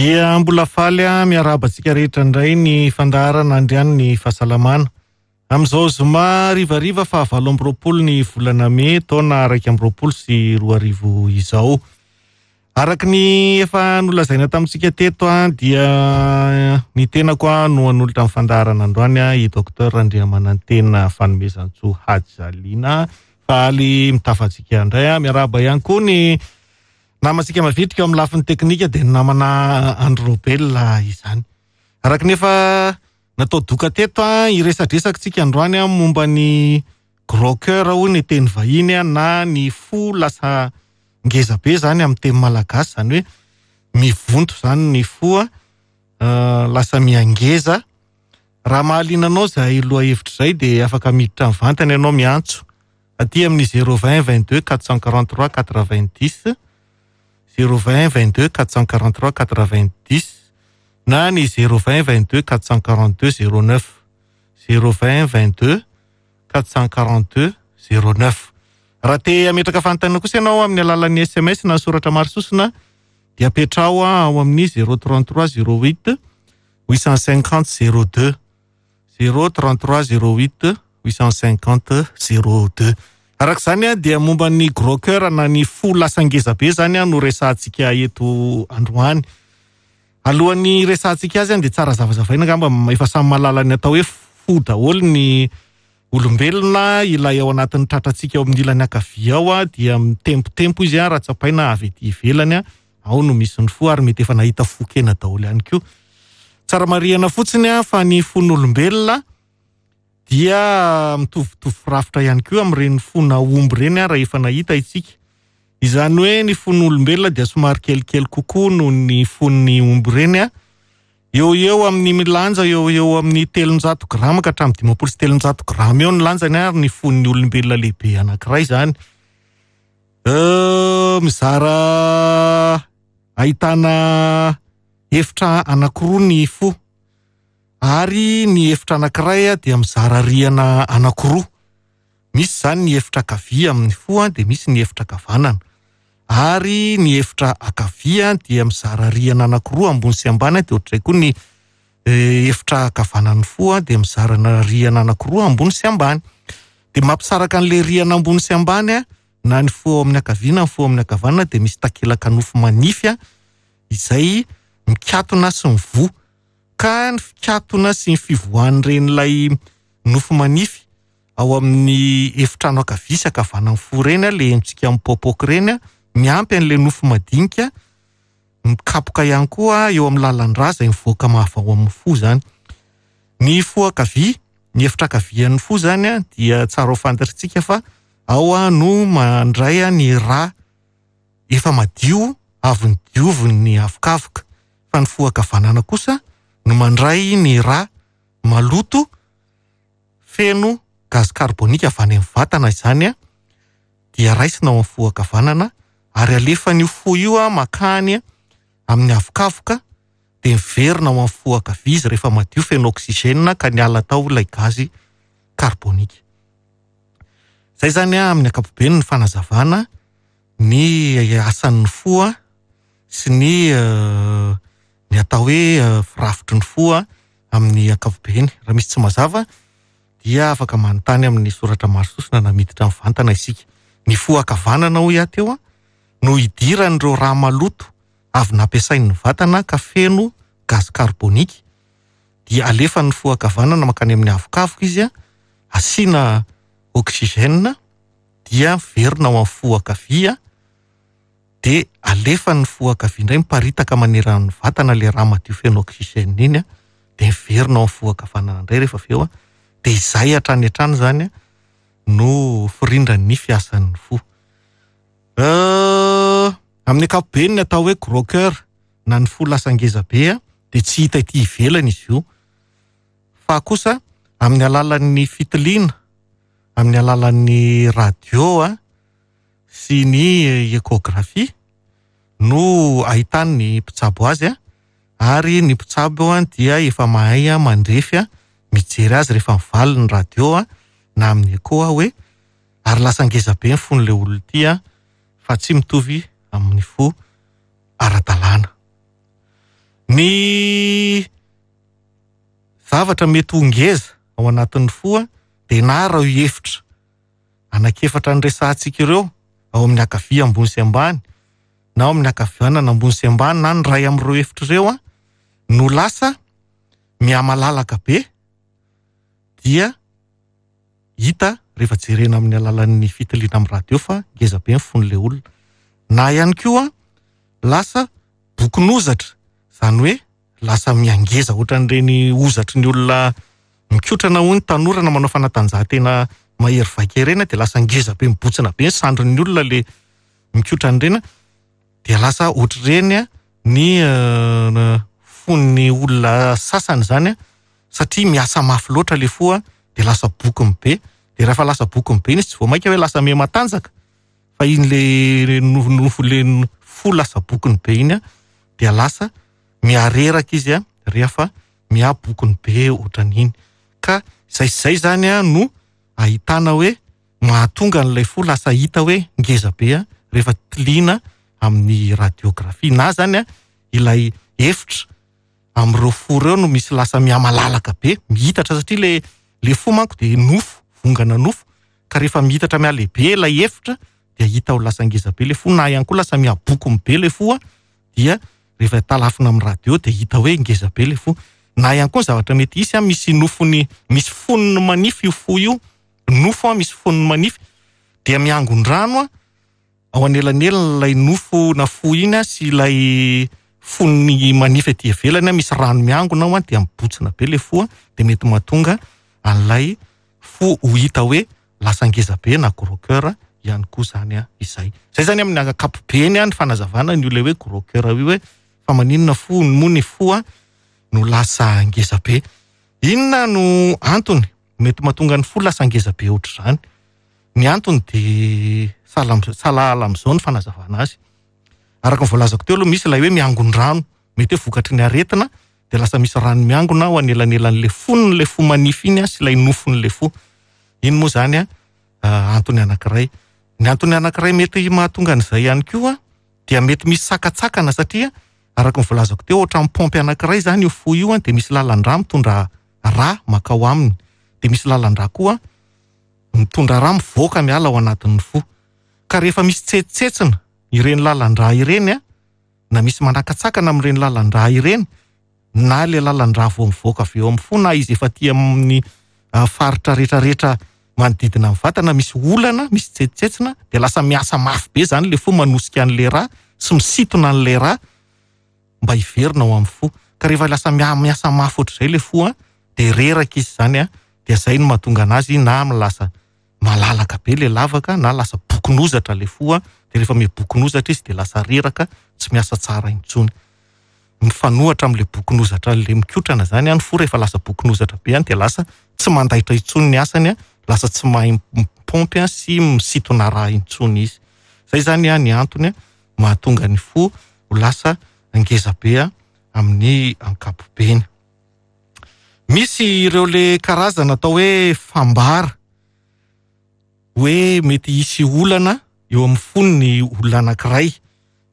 Dia mbola faly miarahaba antsika rehetra indray ny fandaharana Andrianin'ny Fahasalamana. Amin'izao zoma harivariva faha 28 ny volana mey taona 2021 izao. Araka ny efa nolazaina tamintsika teto dia ny tenako no hanolotra ny fandaharana androany i Docteur Randriamanantena Fanomezantsoa Hajaliana. Faly mitafa antsika indray. Miarahaba ihany koa ny namantsika mavitrika eo amin'ny lafiny teknika dia ny namana Andry Robel izany. Araka ny efa natao doka teto, hiresadresaka tsika androany momba ny gros cœur hoy ny teny vahiny na ny fo lasa ngeza be zany amin'ny teny malagasy, zany hoe mivonto zany ny fo, lasa miangeza. Raha mahaliana anao izay lohahevitra izay dia afaka miditra mivantana ianao miantso aty amin'ny 020 22 443 90, 020 22 443 90 na ny 020 22 442 09, 020 22 442 09. Raha te hametraka fanontaniana kosa ianao amin'ny alalan'ny SMS na soratra maro sosona dia apetraho ao amin'ny 033 08 850 02, 033 08 850 02. Araka izany dia momba ny gros cœur na ny fo lasa ngeza be zany no resahantsika eto androany. Alohan'ny resahantsika azy dia tsara zavazavaina angamba, efa samy mahalala ny atao hoe fo daholo ny olombelona. Ilay ao anatin'ny tratrantsika ao amin'ny ilany ankavia ao dia mitempotempo izy raha tsapaina avy ety ivelany, ao no misy ny fo ary mety efa nahita fo kena daholo ihany koa. Tsara marihana fotsiny fa ny fon'olombelona dia mitovitovy firafitra ihany koa amin'ireny fona omby ireny raha efa nahita isika. Izany hoe ny fon'olombelona dia somary kelikely kokoa noho ny fon'ny omby ireny. Eo eo amin'ny milanja eo eo amin'ny 300 grama ka hatramin'ny 350 grama eo ny lanjany ary ny fon'ny olombelona lehibe anankiray izany. Mizara ahitana efitra anankiroa ny fo ary ny efitra anankiray dia mizara rihana anankiroa. Misy izany ny efitra ankavia amin'ny fo dia misy ny efitra ankavanana. Ary ny efitra ankavia dia mizara rihana anankiroa ambony sy ambany, dia ohatr'izay koa ny efitra ankavanan'ny fo dia mizara rihana anankiroa ambony sy ambany. Dia mampisaraka an'ilay rihana ambony sy ambany na ny fo ao amin'ny ankavia na ny fo ao amin'ny ankavanana dia misy takelaka nofo manify izay mikatona sy mivoha. Ka ny fikatona sy ny fivoahan'iren'ilay nofo manify ao amin'ny efitrano ankavia sy ankavanan'ny fo ireny, ilay henontsika mipoapoaka ireny, miampy an'ilay nofo madinika mikapoka ihany koa eo amin'ny lalan-drà izay mivoaka mavo ao amin'ny fo izany. Ny fo ankavia, ny efitra ankavian'ny fo izany dia tsara ho fantatritsika fa ao no mandray ny rà efa madio avy nodiovin'ny avokavoka, fa ny fo ankavanana kosa no mandray ny rà maloto feno gaz carbonique avy any amin'ny vatana izany dia raisina ao amin'ny fo ankavanana ary alefan'io fo io makany amin'ny avokavoka dia miverina ao amin'ny fo ankavia izy rehefa madio feno oxygène ka niala tao ilay gazy carbonique. Izay izany amin'ny ankapobeny ny fanazavana ny asan'ny fo sy ny atao hoe firafitry ny fo amin'ny ankapobeny. Raha misy tsy mazava dia afaka manontany amin'ny soratra maro sosona na miditra mivantana isika. Ny fo ankavanana hoy aho teo no idiran'ireo rà maloto avy nampiasain'ny vatana ka feno gaz carbonique dia alefan'ny fo ankavanana mankany amin'ny avokavoka izy, asiana oxygène dia miverina ao amin'ny fo ankavia dia alefan'ny fo ankavia indray miparitaka manerana ny vatana ilay rà madio feno oxygène iny dia miverina ao amin'ny fo ankavanana indray rehefa avy eo dia izay hatrany hatrany izany no firindran'ny fiasan'ny fo. Amin'ny ankapobeny ny atao hoe gros cœur na ny fo lasa ngeza be dia tsy hita ety ivelany izy io fa kosa amin'ny alalan'ny fitiliana, amin'ny alalan'ny radio sy ny échographie no ahitan'ny mpitsabo azy ary ny mpitsabo dia efa mahay mandrefy mijery azy rehefa mivaly ny radio na amin'ny écho hoe ary lasa ngeza be ny fon'ilay olona ity fa tsy mitovy amin'ny fo ara-dalàna. Ny zavatra mety ho ngeza ao anatin'ny fo dia na ireo efitra anankiefatra niresahantsika ireo ao amin'ny ankavia ambony sy ambany na ao amin'ny ankavanana ambony sy ambany na ny iray amin'ireo efitra ireo no lasa mihamalalaka be dia hita rehefa jerena amin'ny alalan'ny fitiliana amin'ny radio fa ngeza be ny fon'ilay olona. Na ihany koa lasa bokin'ozatra, izany hoe lasa mihangeza ohatran'ireny hozatry ny olona mikotrana hoy ny tanora na manao fanatanjahantena mahery vaika ireny dia lasa ngeza be mibotsina be ny sandrin'ny olona le mikotrana ireny dia lasa ohatr'ireny ny fon'ny olona sasany izany satria miasa mafy loatra le fo dia lasa bokiny be dia rehefa lasa bokiny be iny izy tsy vao mainka hoe lasa miha-matanjaka fa iny le nofo le fo lasa bokiny be iny dia lasa mihareraka izy rehefa miha-bokiny be ohatran'iny. Ka izay sy izay izany no ahitana hoe mahatonga an'ilay fo lasa hita hoe ngeza be rehefa tiliana amin'ny radiographie. Na izany ilay efitra amin'ireo fo ireo no misy lasa mihamalalaka be, mihitatra satria le le fo manko dia nofo, vongana nofo, ka rehefa mihitatra mihalehibe ilay efitra dia hita ho lasa ngeza be ilay fo, na ihany koa lasa mihabokony be ilay fo dia rehefa talafina amin'ny radio dia hita hoe ngeza be ilay fo. Na ihany koa ny zavatra mety hisy, misy nofony, misy fonony manify io fo io, nofo misy fonony manify, dia miangon-drano ao anelanelan'ilay nofo na fo iny sy ilay fonony manify aty ivelany, misy rano miangona ao dia mibotsina be ilay fo, dia mety mahatonga an'ilay fo ho hita hoe lasa ngeza be na gros cœur ihany koa izany izay. Izay izany amin'ny ankapobeny ny fanazavana ny olona hoe gros cœur io hoe fa maninona fo moa ny fo no lasa ngeza be. Inona no antony mety mahatonga ny fo lasa ngeza be ohatr'izany? Ny antony dia sahala amin'izao ny fanazavana azy. Araka ny voalazako teo aloha, misy ilay hoe miangon-drano, mety hoe vokatry ny aretina dia lasa misy rano miangona ao anelanelan'ilay fonon'ilay fo manify iny sy ilay nofon'ilay fo. Iny moa izany antony anankiray. Ny antony anankiray mety mahatonga an'izay ihany koa dia mety misy sakantsakana satria araka ny voalazako teo, ohatran'ny paompy anankiray izany io fo io dia misy lalan-drà mitondra rà mankao aminy, dia misy lalan-drà koa mitondra rà mivoaka miala ao anatin'ny fo. Ka rehefa misy tsetsitsetsina ireny lalan-drà ireny na misy manakatsakana amin'ireny lalan-drà ireny, na ilay lalan-drà vao mivoaka avy eo amin'ny fo na izy efa aty amin'ny faritra rehetrarehetra manodidina ny vatana, misy olana, misy tsetsitsetsina, dia lasa miasa mafy be izany ilay fo manosika an'ilay rà sy misintona an'ilay rà mba hiverina ao amin'ny fo. Ka rehefa lasa miasa mafy ohatr'izay ilay fo, dia reraka izy izany, dia izay no mahatonga anazy na lasa malalaka be ilay lavaka na lasa bokon'ozatra ilay fo, dia rehefa miha-bokon'ozatra izy dia lasa reraka, tsy miasa tsara intsony. Mifanohitra amin'ilay bokon'ozatra ilay mikotrana izany, ny fo rehefa lasa bokon'ozatra be dia lasa tsy mandaitra intsony ny asany, lasa tsy mahay mipaompy sy misintona rà intsony izy. Izay izany ny antony mahatonga ny fo ho lasa ngeza be amin'ny ankapobeny. Misy ireo le karazana atao hoe fambara hoe mety hisy olana eo amin'ny fon'ny olona anankiray.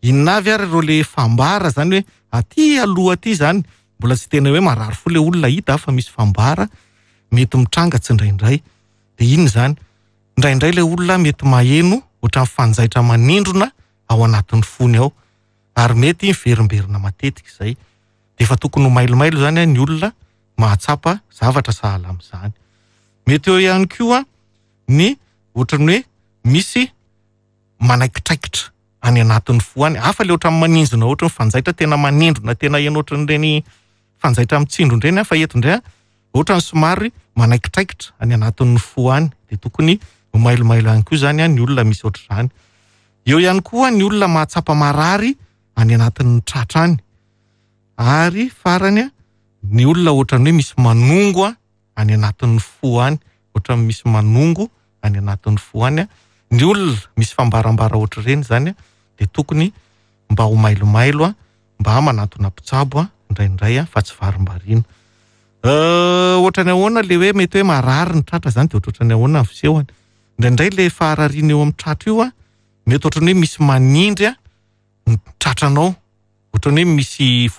Inona avy ary ireo le fambara zany hoe aty aloha aty zany mbola tsy tena hoe marary fo le olona hita fa misy fambara mety mitranga tsindraindray. Dia inona izany? Indraindray le olona mety maheno ohatran'ny fanjaitra manindrona ao anatin'ny fony ao ary mety miverimberina matetika izay. Dia efa tokony ho mailomailo izany ny olona mahatsapa zavatra sahala amin'izany. Mety eo ihany koa ny ohatran'ny hoe misy manaikitraikitra any anatin'ny fo any. Hafa ilay ohatran'ny maninjona ohatran'ny fanjaitra tena manindrona tena heno ohatran'ireny fanjaitra mitsindrona ireny, fa eto indray ohatran'ny somary manaikitraikitra any anatin'ny fo any. Dia tokony ho mailomailo ihany koa izany ny olona misy ohatr'izany. Eo ihany koa ny olona mahatsapa marary any anatin'ny tratra any. Ary farany, ny olona ohatran'ny hoe misy manongo any anatin'ny fo any, ohatran'ny misy manongo any anatin'ny fo any. Ny olona misy fambarambara ohatr'ireny izany dia tokony mba ho mailomailo, mba manantona mpitsabo indraindray fa tsy varimbariana. Ohatran'ny ahoana ilay hoe mety hoe marary ny tratra izany dia ohatrohatran'ny ahoana ny fisehony. Indraindray ilay faharariana eo amin'ny tratra io mety ohatran'ny hoe misy manindry ny tratranao, ohatran'ny hoe misy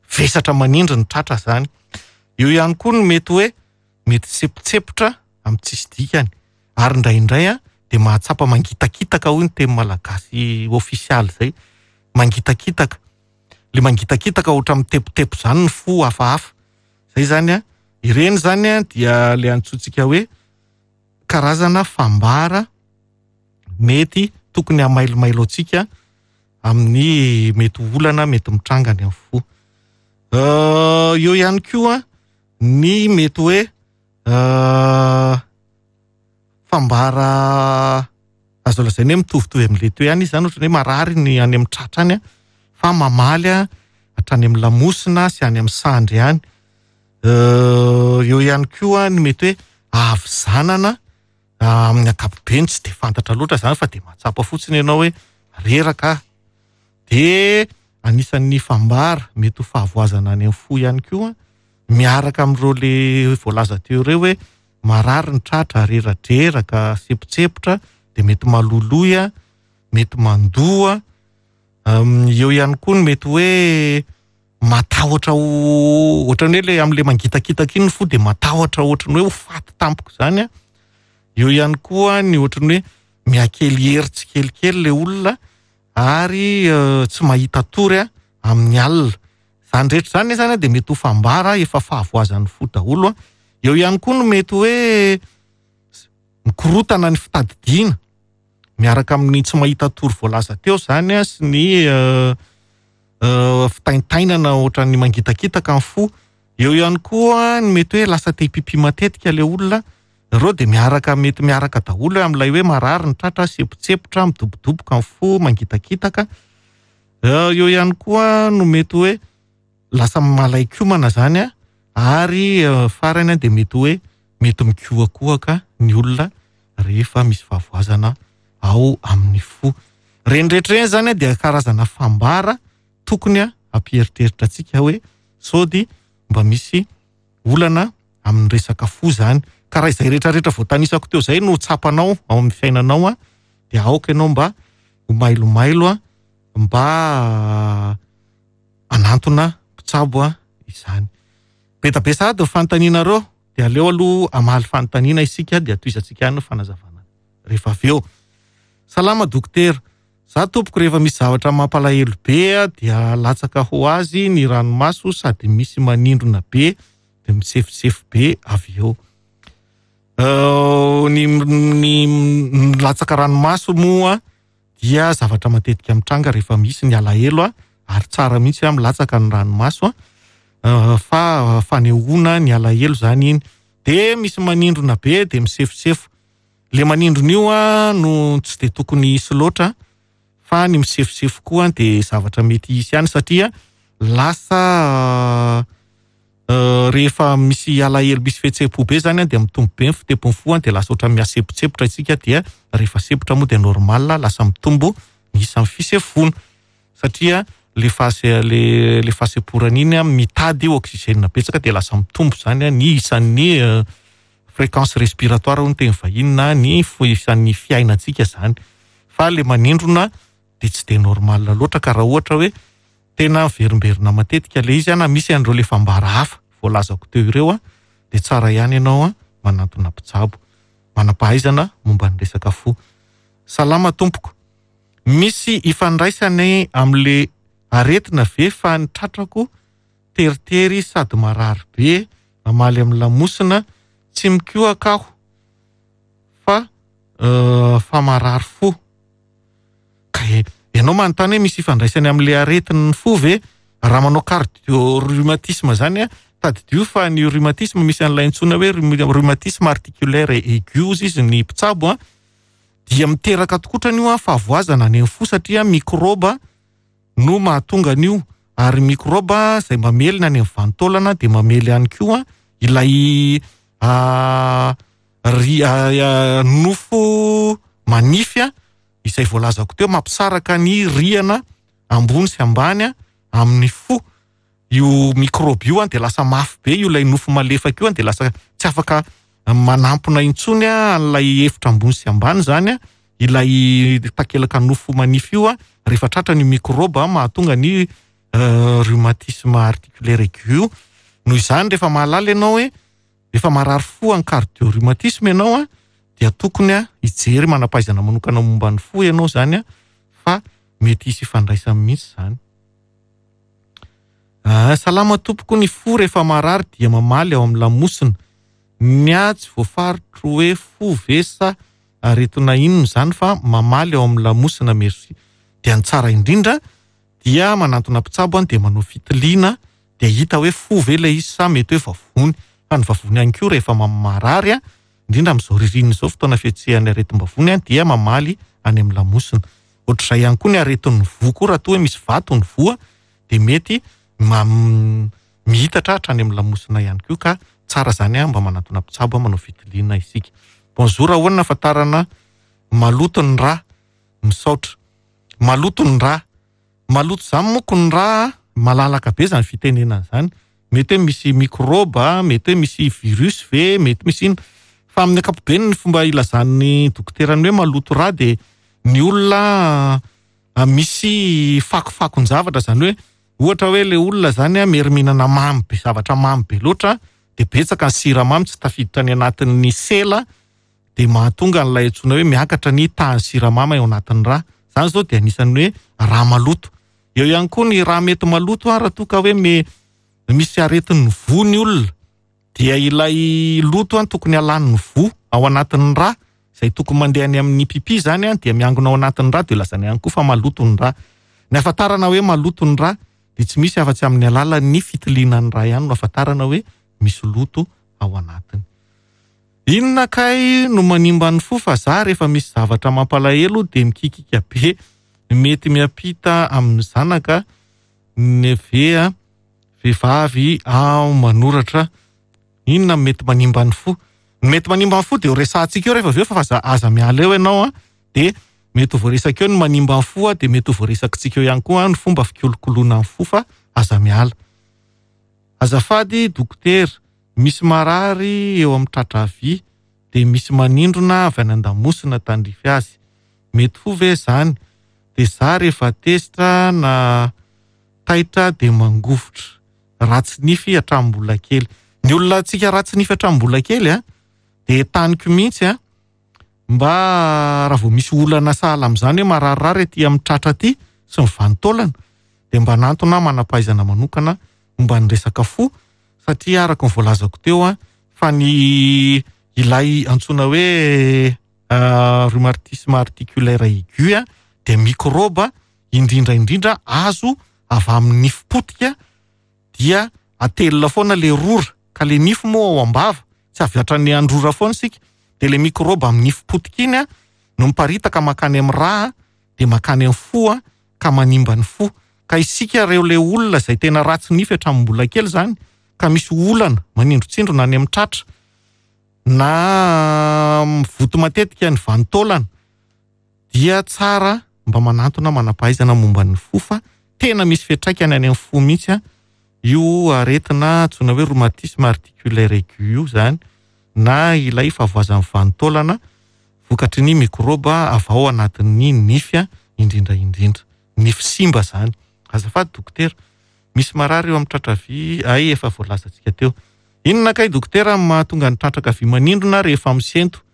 Vesatra manindry ny tratra izany. Eo ihany koa ny mety hoe mety sepotsepotra amin'ny tsisy dikany ary indraindray dia mahatsapa mangitakitaka hoy ny teny malagasy ofisialy izay, mangitakitaka. Ilay mangitakitaka ohatra mitepotepo izany ny fo hafahafa. Izay izany an, ireny izany an dia ilay antsointsika hoe karazana fambara mety tokony hamailomailo antsika amin'ny mety ho olana mety mitranga any amin'ny fo. Eo ihany koa ny mety hoe fambara azo lazaina hoe mitovitovy amin'ilay teo ihany izy izany, ohatran'ny hoe marary ny any amin'ny tratra any fa mamaly hatrany amin'ny lamosina sy any amin'ny sandry any. Eo ihany koa ny mety hoe havizanana amin'ny ankapobeny tsy dia fantatra loatra izany fa dia mahatsapa fotsiny ianao hoe reraka aho. Dia anisan'ny fambara mety ho fahavoazana any amin'ny fo ihany koa miaraka amin'ireo le voalaza teo ireo hoe marary ny tratra, reradreraka, sepotsepotra, dia mety maloloy, mety mandoa. Eo ihany koa ny mety hoe matahotra ho ohatran'ny hoe le amin'le mangitakitaka iny ny fo dia matahotra ohatran'ny hoe ho faty tampoka izany an. Eo ihany koa ny ohatran'ny hoe mihakely hery tsikelikely le olona ary tsy mahita tory amin'ny alina. Izany rehetra izany izany dia mety ho fambara efa fahavoazan'ny fo daholo an. Eo ihany koa no mety hoe mikorotana ny fitadidiana miaraka amin'ny tsy mahita tory voalaza teo izany an sy ny fitaintainana ohatran'ny mangitakitaka ny fo. Eo ihany koa ny mety hoe lasa te hipipi matetika ilay olona. Ireo dia miaraka, mety miaraka daholo amin'ilay hoe marary ny tratra, sepotsepotra, midobodoboka ny fo, mangitakitaka. Eo ihany koa no mety hoe lasa malaikomana izany an, ary farany dia mety hoe mety mikohakohaka ny olona rehefa misy fahavoazana ao amin'ny fo. Ireny rehetra ireny izany dia karazana fambara tokony hampieritreritra antsika hoe sody mba misy olana amin'ny resaka fo izany. Ka raha izay rehetra rehetra voatanisako teo izay no tsapanao ao amin'ny fiainanao dia aoka ianao mba ho mailomailo mba hanantona mpitsabo izany. Be dia be sahady ny fanontanianareo dia aleo aloha hamaly fanontaniana isika dia tohizantsika ihany ny fanazavana rehefa avy eo. Salama dokotera, za tompoko rehefa misy zavatra mampalahelo be dia latsaka ho azy ny ranomaso sady misy manindrona be dia misefosefo be avy eo. Ny ny milatsaka ranomaso moa dia zavatra matetika mitranga rehefa misy ny alahelo ary tsara mihitsy milatsaka ny ranomaso fa fanehoana ny alahelo zany iny. Dia misy manindrona be dia misefosefo. Le manindrona io no tsy dia tokony hisy loatra fa ny misefosefo koa dia zavatra mety hisy ihany satria lasa rehefa misy alahelo misy fihetseham-po be zany dia mitombo be ny fitepon'ny fo dia lasa ohatran'ny mihasempontsempotra isika dia rehefa sempotra moa dia normal lasa mitombo ny isan'ny fisefoana satria le fahase le le fahasemporana iny mitady oxygène betsaka dia lasa mitombo zany ny isan'ny fréquence respiratoire hoy ny teny vahiny na ny isan'ny fiainantsika zany fa le manindrona dia tsy dia normal loatra ka raha ohatra hoe tena miverimberina matetika le izy na misy an'ireo le fambara hafa voalazako teo ireo dia tsara ihany ianao manantona mpitsabo manam-pahaizana momba ny resaka fo. Salama tompoko. Misy ifandraisany amin'le aretina ve fa ny tratrako teritery sady marary be mamaly amin'ny lamosina, tsy mikohaka aho fa fa marary fo. Ka ianao manontany hoe misy ifandraisany amin'le aretin'ny fo ve? Raha manao cardio-rhumatisme zany a, tadidio fa ny rhumatisme misy an'ilay antsoina hoe rhumatisme articulaire aigu hozy izy ny mpitsabo a, dia miteraka tokotrany io a fahavoazana any amin'ny fo satria mikrôba no mahatonga an'io ary mikrôba izay mamelona any amin'ny vanin-taolana dia mamely ihany koa ilay ry nofo manify izay voalazako teo mampisaraka ny rihana ambony sy ambany amin'ny fo. Io mikrôba io dia lasa mafy be io ilay nofo malefaka io dia lasa tsy afaka manampina intsony an'ilay efitra ambony sy ambany izany ilay takelaka nofo manify io rehefa tratra ny mikrôba mahatonga ny rhumatisme articulaire aigu io. Noho izany rehefa mahalala ianao hoe efa marary fo any cardio-rhumatisme ianao a, dia tokony a hijery manam-pahaizana manokana momba ny fo ianao zany a, fa mety hisy ifandraisany mihitsy zany. Salama tompoko, ny fo rehefa marary dia mamaly ao amin'ny lamosina. Ny ahy tsy voafaritro hoe fo ve sa aretina inona izany fa mamaly ao amin'ny lamosina, merci. Dia ny tsara indrindra dia manantona mpitsabo dia manao fitiliana dia hita hoe fo ve ilay izy sa mety hoe vavony. Fa ny vavony ihany koa rehefa marary, indrindra amin'izao ririnina izao fotoana fihetsehan'ny aretim-bavony dia mamaly any amin'ny lamosina. Ohatr'izay ihany koa ny aretin'ny voa koa, raha toa hoe misy vato ny voa dia mety mihitatra hatrany amin'ny lamosina ihany koa, ka tsara zany mba manantona mpitsabo manao fitiliana isika. Bonjour, ahoana ahafantarana maloto ny rà? Misaotra. Maloto ny rà. Maloto zany moko ny rà, malalaka be zany fitenenana zany. Mety hoe misy mikrôba, mety hoe misy virus ve, mety misy inona. Fa amin'ny ankapobeny ny fomba ilazan'ny dokotera ny hoe maloto rà dia ny olona misy fakofakon-javatra, zany hoe ohatra hoe le olona zany mery mihinana mamy be, zavatra mamy be loatra, dia betsaka ny siramamy tsy tafiditra any anatin'ny sela, dia mahatonga an'ilay antsoina hoe miakatra ny tahan'ny siramamy ao anatin'ny rà. Zany zao dia anisan'ny hoe rà maloto. Eo ihany koa ny rà mety maloto raha toa ka hoe misy aretin'ny voa ny olona, dia ilay loto tokony halan'ny voa ao anatin'ny rà, izay tokony mandeha any amin'ny pipi zany dia miangona ao anatin'ny rà, dia lazaina ihany koa fa maloto ny rà. Ny ahafantarana hoe maloto ny rà dia tsy misy afa-tsy amin'ny alalan'ny fitiliana ny rà ihany no ahafantarana hoe misy loto ao anatiny. Inona kay no manimba ny fo fa za rehefa misy zavatra mampalahelo dia mikikika be, mety miampita amin'ny zanaka neve vehivavy aho manoratra. Inona no mety manimba ny fo? Ny mety manimba ny fo dia ho resahantsika eo rehefa avy eo, fa aza miala eo ianao a, dia mety ho voaresaka eo ny manimba ny fo, dia mety ho voaresakitsika eo ihany koa ny fomba fikolokoloana ny fo, fa aza miala. Azafady dokotera, misy marary eo amin'ny tratra havia dia misy manindrona avy any an-damosina tandrify azy. Mety fo ve izany? Dia za rehefa tezitra na taitra dia mangovitra. Ratsy nify hatramin'ny mbola kely. Ny olona antsika ratsy nify hatramin'ny mbola kely a, dia taniko mihitsy a, mba raha vao misy olana sahala amin'izany hoe mararirary aty amin'ny tratra aty sy ny vanin-taolana, dia mba nantona manam-pahaizana manokana momba ny resaka fo, satria araka ny voalazako teo a, fa ny ilay antsoina hoe rhumatisme articulaire aigu a, dia mikrôba indrindra indrindra azo avy amin'ny nify potika, dia atelina foana le rora, ka le nify moa ao am-bava, tsy avy hatrany androra foana isika, dia le mikrôba amin'ny nify potika iny a no miparitaka mankany amin'ny rà, dia mankany amin'ny fo a, ka manimba ny fo. Ka isika ireo le olona izay tena ratsy nify hatramin'ny mbola kely zany, ka misy olana manindrotsindrona any amin'ny tratra, na mivoto matetika ny vanin-taolana, dia tsara mba manantona manam-pahaizana momba ny fo, fa tena misy fiantraikany any amin'ny fo mihitsy a, io aretina antsoina hoe rhumatisme articulaire aigu io zany, na ilay fahavoazan'ny vanin-taolana vokatry ny mikrôba avy ao anatin'ny nify indrindra indrindra. Nify simba zany. Azafady dokotera, misy marary eo amin'ny tratra havia, ay efa voalazantsika teo. Inona kay dokotera no mahatonga ny tratra havia manindrona rehefa misento,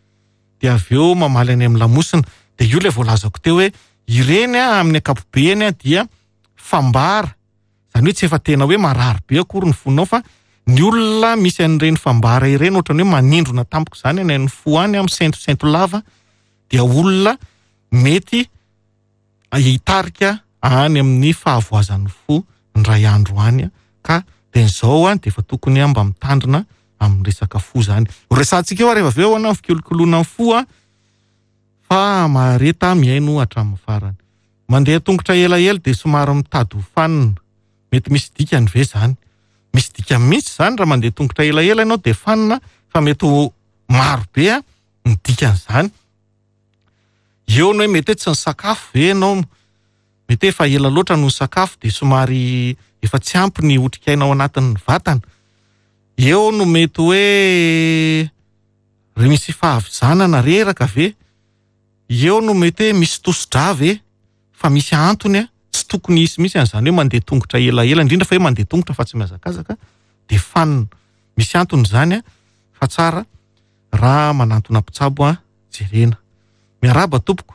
dia avy eo mamaly any amin'ny lamosina? Dia io ilay voalazako teo hoe ireny amin'ny ankapobeny dia fambara, zany hoe tsy efa tena hoe marary be akory ny fonao, fa ny olona misy an'ireny fambara ireny ohatrany hoe manindrona tampoka izany any amin'ny fo any, misentosento lava, dia olona mety hitarika any amin'ny fahavoazan'ny fo indray andro any, ka dia izao dia efa tokony mba mitandrina amin'ny resaka fo zany. Ho resahantsika eo rehefa avy eo ahoana ny fikolokoloana ny fo a, fa mahareta mihaino hatramin'ny farany. Mandeha tongotra elaela dia somary mitady ho fanina. Mety misy dikany ve zany? Misy dikany mihitsy zany raha mandeha tongotra elaela ianao dia fanina, fa mety ho maro be ny dikan'izany. Eo ny hoe mety hoe tsy nisakafo ve ianao, mety hoe efa ela loatra no nisakafo dia somary efa tsy ampy ny otrikaina ao anatin'ny vatana. Eo no mety hoe ry misy fahavizanana reraka ve? Eo no mety hoe misy tosi-drà ve? Fa misy antony a, Tsy tokony hisy mihitsy an'izany hoe mandeha tongotra elaela, indrindra fa hoe mandeha tongotra fa tsy mihazakazaka dia fanina. Misy antony izany fa tsara raha manantona mpitsabo jerena. Miarahaba tompoko.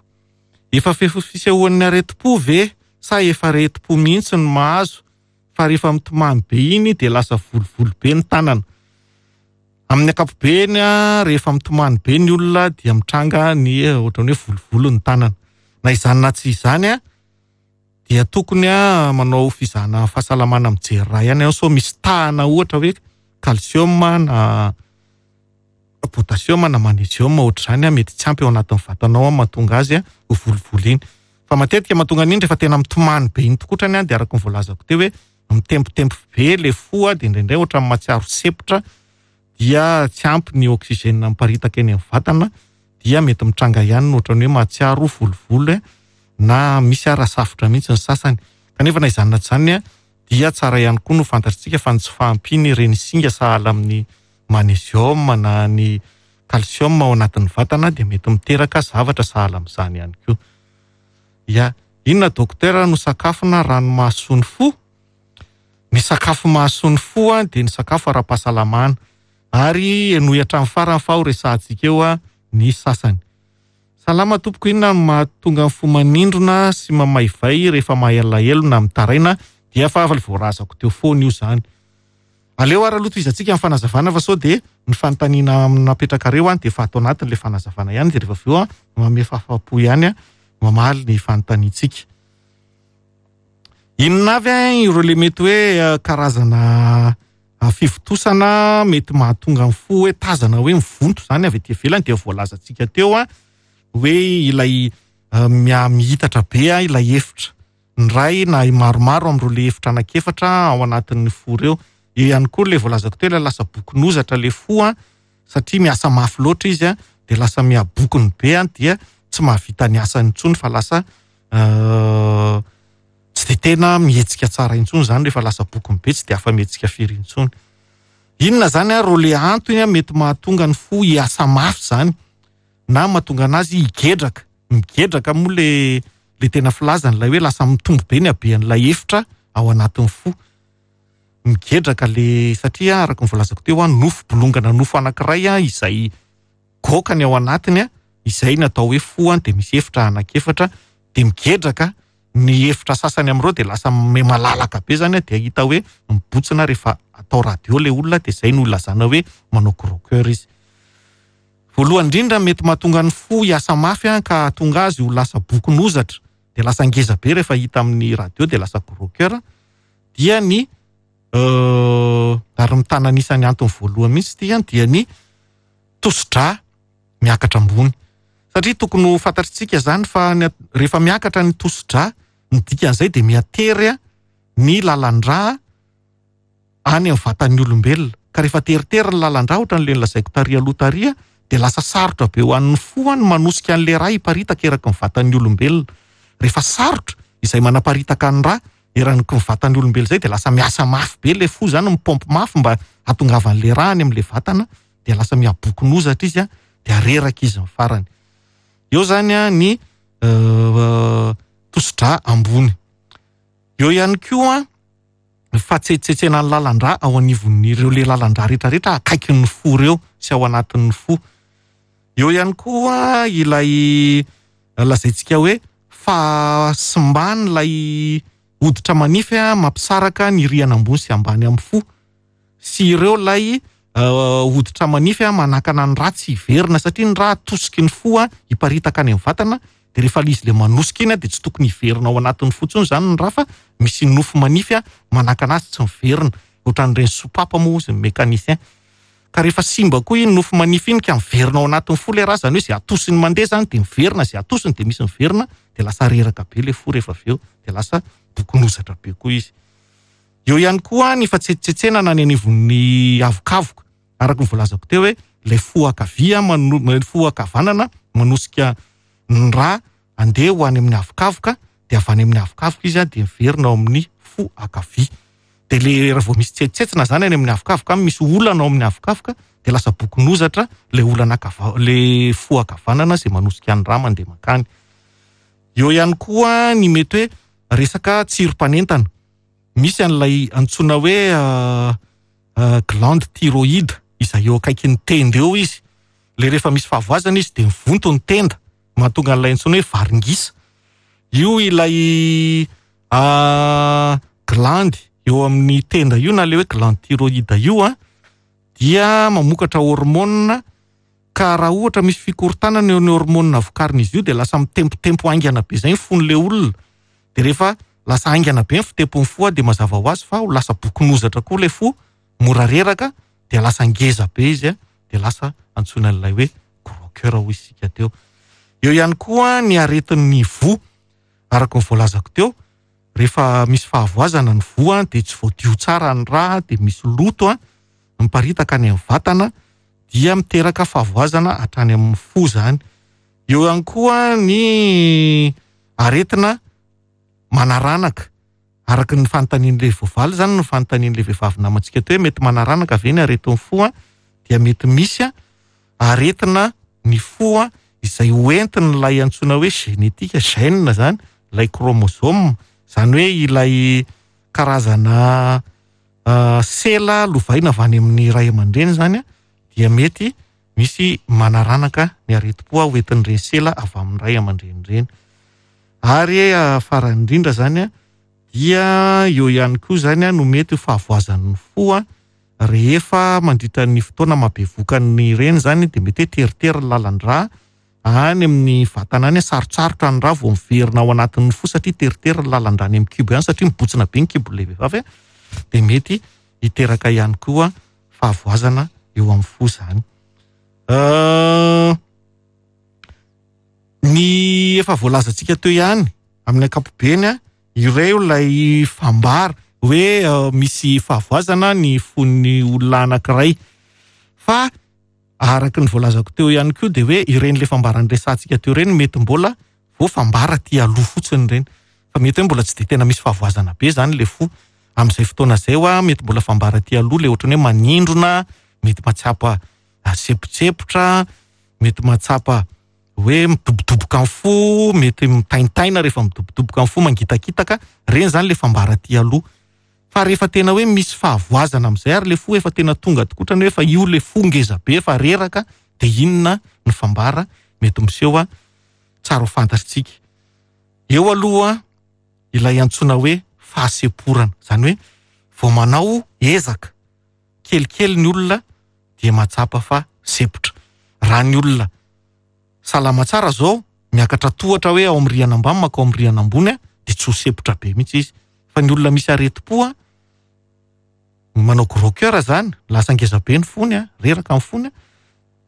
Efa fisehoan'ny aretim-po ve sa efa aretim-po mihitsy no mahazo fa rehefa mitomany be iny dia lasa volovolo be ny tanana. Amin'ny ankapobeny rehefa mitomany be ny olona dia mitranga ny ohatran'ny hoe volovolo ny tanana. Na izany na tsy izany dia tokony manao fizahana fahasalamana mijery ra ihany ianao sao misy tahana ohatra hoe calcium na potassium na magnésium ohatr'izany mety tsy ampy ao anatin'ny vatanao mahatonga azy ho volovolo iny. Fa matetika mahatonga an'iny rehefa tena mitomany be iny tokotrany dia araka ny voalazako teo hoe mitempotempo be le fo dia indraindray ohatran'ny mahatsiaro sepotra dia tsy ampy ny oxygène miparitaka eny amin'ny vatana dia mety mitranga ihany ny ohatran'ny hoe mahatsiaro volovolo na misy ara safotra mihitsy ny sasany. Kanefa na izany na tsy izany dia tsara ihany koa no fantatritsika fa ny tsy fahampiany ireny singa sahala amin'ny magnésium na ny calcium ao anatin'ny vatana dia mety miteraka zavatra sahala amin'izany ihany koa. Ya, inona docteur no sakafona rano mahasoa ny fo? Ny sakafo mahasoa ny fo dia ny sakafo ara-pahasalamana ary henoy hatramin'ny farany fa ho resahantsika eo ny sasany. Salama tompoko, inona no mahatonga ny fo manindrona sy mamaivay rehefa mahalahelo na mitaraina? Dia fa voarazako teo foana io zany. Aleo ary aloha tohizantsika ny fanazavana fa sao dia ny fanontaniana napetrakareo dia efa ato anatin'ilay fanazavana ihany dia rehefa avy eo manome fahafahampo ihany mamaly ny fanontaniantsika. Inona avy ireo le mety hoe karazana fivontosana mety mahatonga ny fo hoe tazana hoe mivonto zany avy aty ivelany dia voalazantsika teo hoe ilay mihitatra be ilay efitra ny ray na maromaro amin'ireo le efitra anankiefatra ao anatin'ny fo ireo. Eo ihany koa le voalazako teo ilay lasa bokin'ozatra le fo satria miasa mafy loatra izy dia lasa mihabokony be dia tsy mahavita ny asany intsony fa lasa tsy dia tena mihetsika tsara intsony zany rehefa lasa bokony be tsy dia afa mihetsika firy intsony. Inona zany reo le antony mety mahatonga ny fo hiasa mafy zany na mahatonga anazy higedraka. Migedraka moa le tena filazany ilay hoe lasa mitombo be ny habean'ilay efitra ao anatin'ny fo. Migedraka le satria araka ny voalazako teo nofo bolongana nofo anankiray izay goaka ny ao anatiny izay ny atao hoe fo dia misy efitra anankiefatra dia migedraka ny efitra sasany amin'ireo dia lasa malalaka be zany dia hita hoe mibotsina rehefa atao radio le olona dia izay no ilazana hoe manao gros cœur izy. Voalohany indrindra mety mahatonga ny fo hiasa mafy ka hahatonga azy ho lasa bokin'ozatra dia lasa ngeza be rehefa hita amin'ny radio dia lasa gros cœur dia ny ary mitana anisan'ny antony voalohany mihitsy ity dia ny tosi-drà miakatra ambony. Satria tokony ho fantatritsika zany fa rehefa miakatra ny tosi-drà ny dikan'izay dia miatery ny lalan-drà any amin'ny vatan'ny olombelona. Ka rehefa teritery ny lalan-drà ohatran'ilay nolazaiko tary aloha tary dia lasa sarotra be ho an'ny fo ny manosika an'ilay rà hiparitaka eraky ny vatan'ny olombelona. Rehefa sarotra izay manaparitaka ny rà eraky ny vatan'ny olombelona izay dia lasa miasa mafy be ilay fo zany, mipaompy mafy mba hahatongavan'ilay rà any amin'ilay vatana dia lasa mihabokin'ozatra izy dia reraka izy ny farany. Eo zany ny tosi-drà ambony. Eo ihany koa ny fahatsetsetsenan'ny lalan-drà ao anivon'ireo le lalan-drà rehetrarehetra akaikin'ny fo ireo sy ao anatin'ny fo. Eo ihany koa ilay lazaintsika hoe fahasimban'ilay hoditra manify mampisaraka ny rihana ambony sy ambany amin'ny fo sy ireo ilay hoditra manify manakana ny rà tsy hiverina satria ny rà atosiky ny fo hiparitaka any amin'ny vatana dia rehefa ilay izy ilay manosika iny dia tsy tokony hiverina ao anatin'ny fo intsony zany ny rà fa misy nofo manify manakana azy tsy miverina ohatran'ireny sopapa moa izy ny mécanicien. Ka rehefa simba koa iny nofo manify iny ka miverina ao anatin'ny fo ilay rà zany hoe izay atosiny mandeha zany dia miverina, izay atosiny dia misy miverina dia lasa reraka be ilay fo rehefa avy eo dia lasa bokin'ozatra be koa izy. Eo ihany koa ny fahatsetsetsenana any anivon'ny avokavoka araka ny voalazako teo hoe ilay fo ankavia fo ankavanana manosika ny rà andeha ho any amin'ny avokavoka dia avy any amin'ny avokavoka izy dia miverina ao amin'ny fo ankavia. Dia le raha vao misy tsetsitsetsina zany any amin'ny avokavoka any, misy olana ao amin'ny avokavoka dia lasa bokin'ozatra ilay olana le fo ankavanana izay manosika ny rà mandeha mankany. Eo ihany koa ny mety hoe resaka tsirom-panentana. Misy an'ilay antsoina hoe glande thyroïde izay eo akaikin'ny tenda eo izy. Ilay rehefa misy fahavoazana izy dia mivonto ny tenda, mahatonga an'ilay antsoina hoe varingisa. Io ilay glande eo amin'ny tenda io na ilay hoe glande thyroïde io a dia mamokatra hormonina ka raha ohatra misy fikorontanana eo ny hormonina vokarin'izy io dia lasa mitempotempo haingana be izay ny fon'ilay olona. Dia rehefa lasa haingana be ny fitempon'ny fo dia mazava ho azy fa ho lasa bokon'ozatra koa ilay fo, mora reraka, dia lasa ngeza be izy dia lasa antsoina an'ilay hoe gros cœur hoy isika teo. Eo ihany koa ny aretin'ny voa, araka ny voalazako teo, rehefa misy fahavoazana ny voa dia tsy voadio tsara ny rà, dia misy loto miparitaka any amin'ny vatana, dia miteraka fahavoazana hatrany amin'ny fo izany. Eo ihany koa ny aretina manaranaka, araka ny fanontanian'ilay voavaly izany no fanontanian'ilay vehivavy namantsika teo hoe mety manaranaka ve ny aretin'ny fo a? Dia mety misy aretina ny fo a, izay hoentin'ilay antsoina hoe génétique, gène izany, ilay chromosome, izany hoe ilay karazana sela lovaina avy any amin'ny ray aman-dreny izany a, dia mety misy manaranaka ny aretim-po hoentin'ireny sela avy amin'ny ray aman-dreny ireny. Ary farany indrindra izany dia eo ihany koa izany no mety ho fahavoazan'ny fo rehefa mandritra ny fotoana mahabevoka ny reny izany dia mety hoe teritery ny lalan-drà any amin'ny vatana any, sarotsarotra ny rà vao miverina ao anatin'ny fo satria teritery ny lalan-drà any amin'ny kibo ihany satria mibotsina be ny kibon'ilay vehivavy dia mety hiteraka ihany koa fahavoazana eo amin'ny fo izany. Ny efa voalazantsika teo ihany amin'ny ankapobeny, ireo ilay fambara hoe misy fahavoazana ny fon'ny olona anankiray. Fa araka ny voalazako teo ihany koa dia hoe ireny ilay fambara niresahantsika teo ireny mety mbola vao fambara aty aloha fotsiny ireny. Fa mety hoe mbola tsy dia tena misy fahavoazana be izany ilay fo. Amin'izay fotoana izay hoa mety mbola fambara aty aloha ilay ohatran'ny hoe manindrona, mety mahatsapa sempontsempotra, mety mahatsapa hoe midobodoboka ny fo, mety mitaintaina rehefa midobodoboka ny fo, mangitakitaka, ireny izany ilay fambara aty aloha. Fa rehefa tena hoe misy fahavoazana amin'izay ary ilay fo efa tena tonga tokoa, ohatran'ny hoe efa io ilay fo ngeza be, efa reraka, dia inona ny fambara mety miseho tsara ho fantatritsika. Eo aloha ilay antsoina hoe fahasemporana, izany hoe vao manao ezaka kelikely ny olona dia mahatsapa fa sempotra. Raha ny olona salama tsara zao miakatra tohatra hoe ao amin'ny rihana ambany mankao amin'ny rihana ambony dia tsy ho sempotra be mihitsy izy. Fa ny olona misy aretim-po manao gros cœur zany, lasa ngeza be ny fony, reraka ny fony.